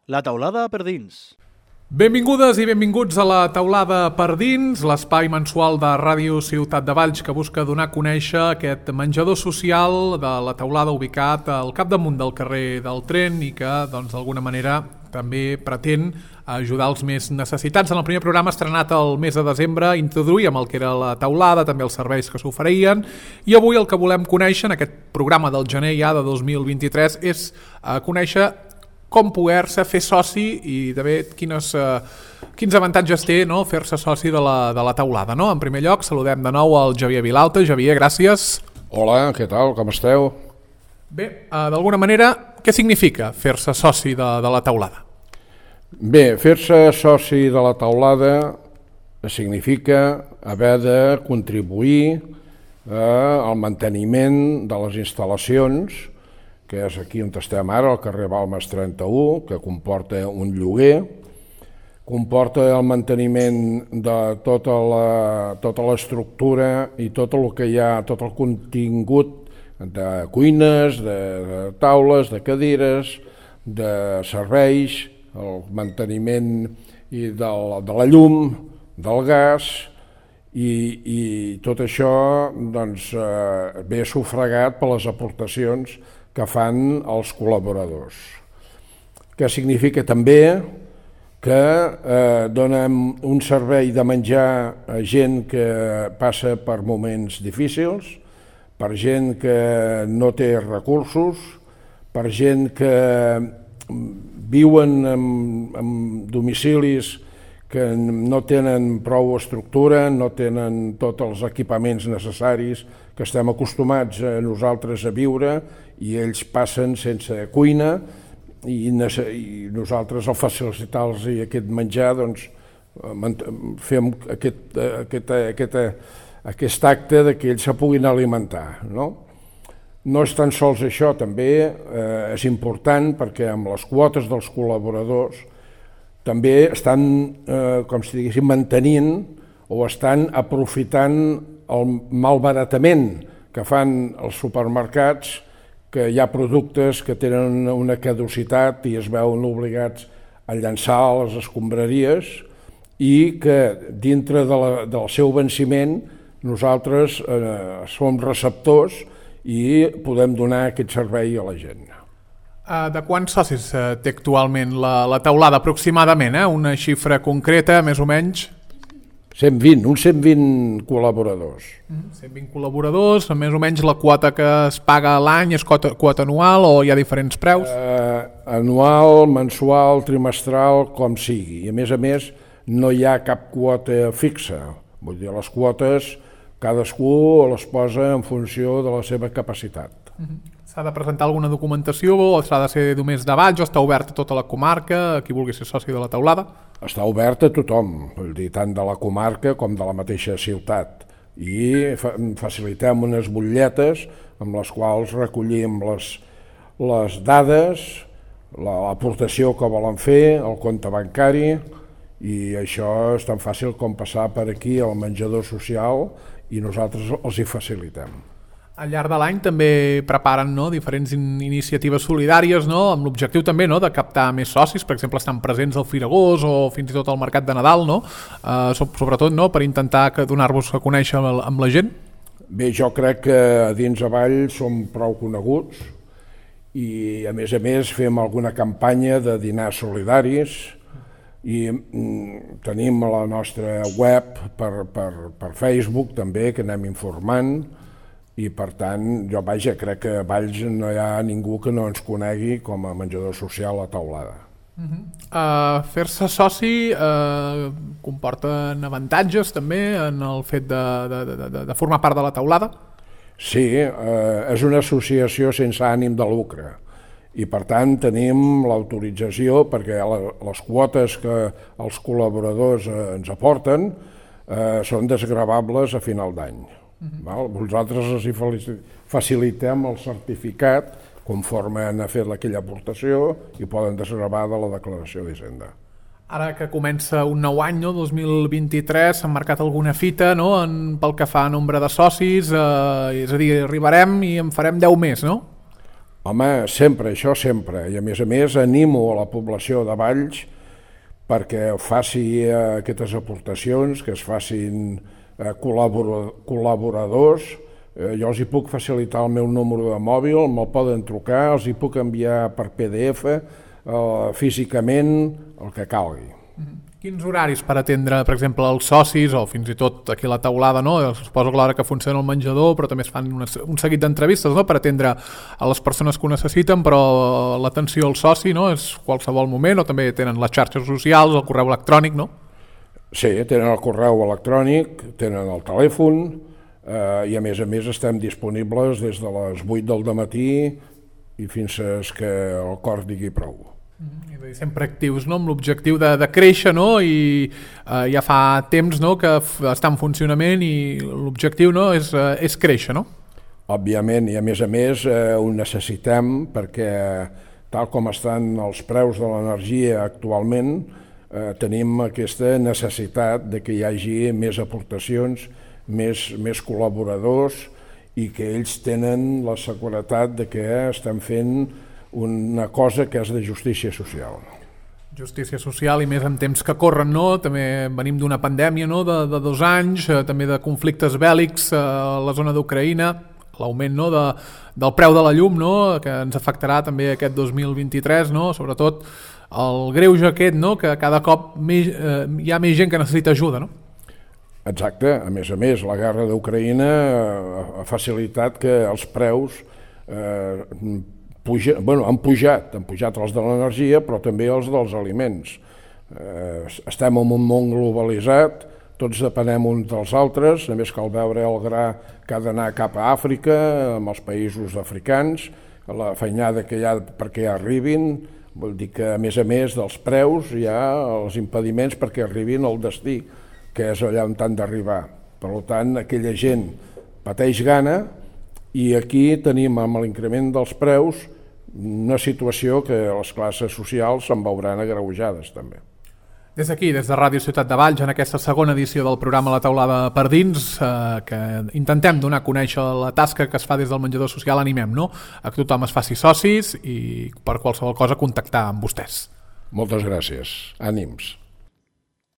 La taulada per dins. Benvingudes i benvinguts a la taulada per dins, l'espai mensual de Ràdio Ciutat de Valls que busca donar a conèixer aquest menjador social de la taulada ubicat al capdamunt del carrer del Tren i que, doncs, d'alguna manera també pretén ajudar els més necessitats. En el primer programa estrenat el mes de desembre introduïm el que era la taulada, també els serveis que s'oferien, i avui el que volem conèixer en aquest programa del gener ja de 2023 és conèixer com poder-se fer soci i també quins avantatges té, no, fer-se soci de la taulada. No? En primer lloc, saludem de nou al Javier Vilalta. Javier, gràcies. Hola, què tal? Com esteu? Bé, d'alguna manera, què significa fer-se soci de la taulada? Bé, fer-se soci de la taulada significa haver de contribuir al manteniment de les instal·lacions, que és aquí on estem ara, al carrer Balmes 31, que comporta un lloguer, comporta el manteniment de tota l'estructura i tot el que hi ha, tot el contingut de cuines, de taules, de cadires, de serveis, el manteniment de la llum, del gas, i tot això doncs, ve sufragat per les aportacions que fan els col·laboradors. Que significa també que donem un servei de menjar a gent que passa per moments difícils, per gent que no té recursos, per gent que viuen en domicilis que no tenen prou estructura, no tenen tots els equipaments necessaris que estem acostumats nosaltres a viure, i ells passen sense cuina i nosaltres al facilitar-los aquest menjar doncs, fem aquest acte de que ells se puguin alimentar. No és tan sols això, també és important perquè amb les quotes dels col·laboradors també estan, com si diguéssim, mantenint o estan aprofitant el malbaratament que fan els supermercats, que hi ha productes que tenen una caducitat i es veuen obligats a llançar a les escombraries i que dintre del seu venciment nosaltres som receptors i podem donar aquest servei a la gent. De quants socis té actualment la taulada aproximadament? Una xifra concreta, més o menys? 120, uns 120 col·laboradors. 120 col·laboradors, més o menys la quota que es paga a l'any és quota anual o hi ha diferents preus? Anual, mensual, trimestral, com sigui. I a més, no hi ha cap quota fixa. Vull dir, les quotes cadascú les posa en funció de la seva capacitat. S'ha de presentar alguna documentació o s'ha de ser només de Valls o està obert a tota la comarca, a qui vulgui ser soci de la taulada? Està obert a tothom, vull dir, tant de la comarca com de la mateixa ciutat. I facilitem unes butlletes amb les quals recollim les dades, l'aportació que volen fer, el compte bancari, i això és tan fàcil com passar per aquí al menjador social i nosaltres els hi facilitem. Al llarg de l'any també preparen diferents iniciatives solidàries amb l'objectiu també de captar més socis, per exemple estan presents al Firagós o fins i tot al Mercat de Nadal, sobretot per intentar donar-vos a conèixer amb la gent? Bé, jo crec que dins a Vall som prou coneguts i a més fem alguna campanya de dinars solidaris i tenim la nostra web per Facebook també, que anem informant. I per tant, jo crec que a Valls no hi ha ningú que no ens conegui com a menjador social a taulada. Fer-se soci comporten avantatges també en el fet de formar part de la taulada? Sí, és una associació sense ànim de lucre i per tant tenim l'autorització perquè les quotes que els col·laboradors ens aporten són desgravables a final d'any. Vosaltres els facilitem el certificat conforme han fet aquella aportació i poden desgravar de la declaració d'Hisenda. Ara que comença un nou any, 2023, s'ha marcat alguna fita pel que fa a nombre de socis, és a dir, arribarem i en farem 10 més, no? Home, sempre, això sempre. I a més animo a la població de Valls perquè faci aquestes aportacions, que es facin col·laboradors. Jo els hi puc facilitar el meu número de mòbil, me'l poden trucar, els hi puc enviar per PDF, físicament, el que calgui. Quins horaris per atendre, per exemple, els socis o fins i tot aquí a la taulada, no? Suposo que l'hora que funciona el menjador, però també es fan un seguit d'entrevistes, no?, per atendre a les persones que ho necessiten, però l'atenció al soci, no?, és qualsevol moment, o també tenen les xarxes socials, el correu electrònic, no? Sí, tenen el correu electrònic, tenen el telèfon, i a més estem disponibles des de les 8 del dematí i fins que el cor digui prou. I sempre actius, no?, amb l'objectiu de créixer, no?, i ja fa temps, no?, que està en funcionament i l'objectiu, no?, és créixer, no? Òbviament, i a més ho necessitem perquè tal com estan els preus de l'energia actualment, tenim aquesta necessitat de que hi hagi més aportacions, més col·laboradors i que ells tenen la seguretat de que estem fent una cosa que és de justícia social. Justícia social i més en temps que corren, no? També venim d'una pandèmia, no?, de 2 anys, també de conflictes bèl·lics a la zona d'Ucraïna, l'augment, no?, del preu de la llum, no?, que ens afectarà també aquest 2023, no?, sobretot el greuge aquest, no?, que cada cop hi ha més gent que necessita ajuda, no? Exacte, a més, la guerra d'Ucraïna ha facilitat que els preus han pujat els de l'energia, però també els dels aliments. Estem en un món globalitzat, tots depenem uns dels altres, només cal veure el gra que ha d'anar cap a Àfrica, amb els països africans, la feinada que hi ha perquè arribin, vol dir que a més dels preus hi ha els impediments perquè arribin al destí, que és allà on han d'arribar. Per tant, aquella gent pateix gana i aquí tenim amb l'increment dels preus una situació que les classes socials se'n veuran agreujades també. Des d'aquí, des de Ràdio Ciutat de Valls, en aquesta segona edició del programa La Taulada per Dins, que intentem donar a conèixer la tasca que es fa des del menjador social, animem, no?, a que tothom es faci socis i per qualsevol cosa contactar amb vostès. Moltes gràcies. Ànims.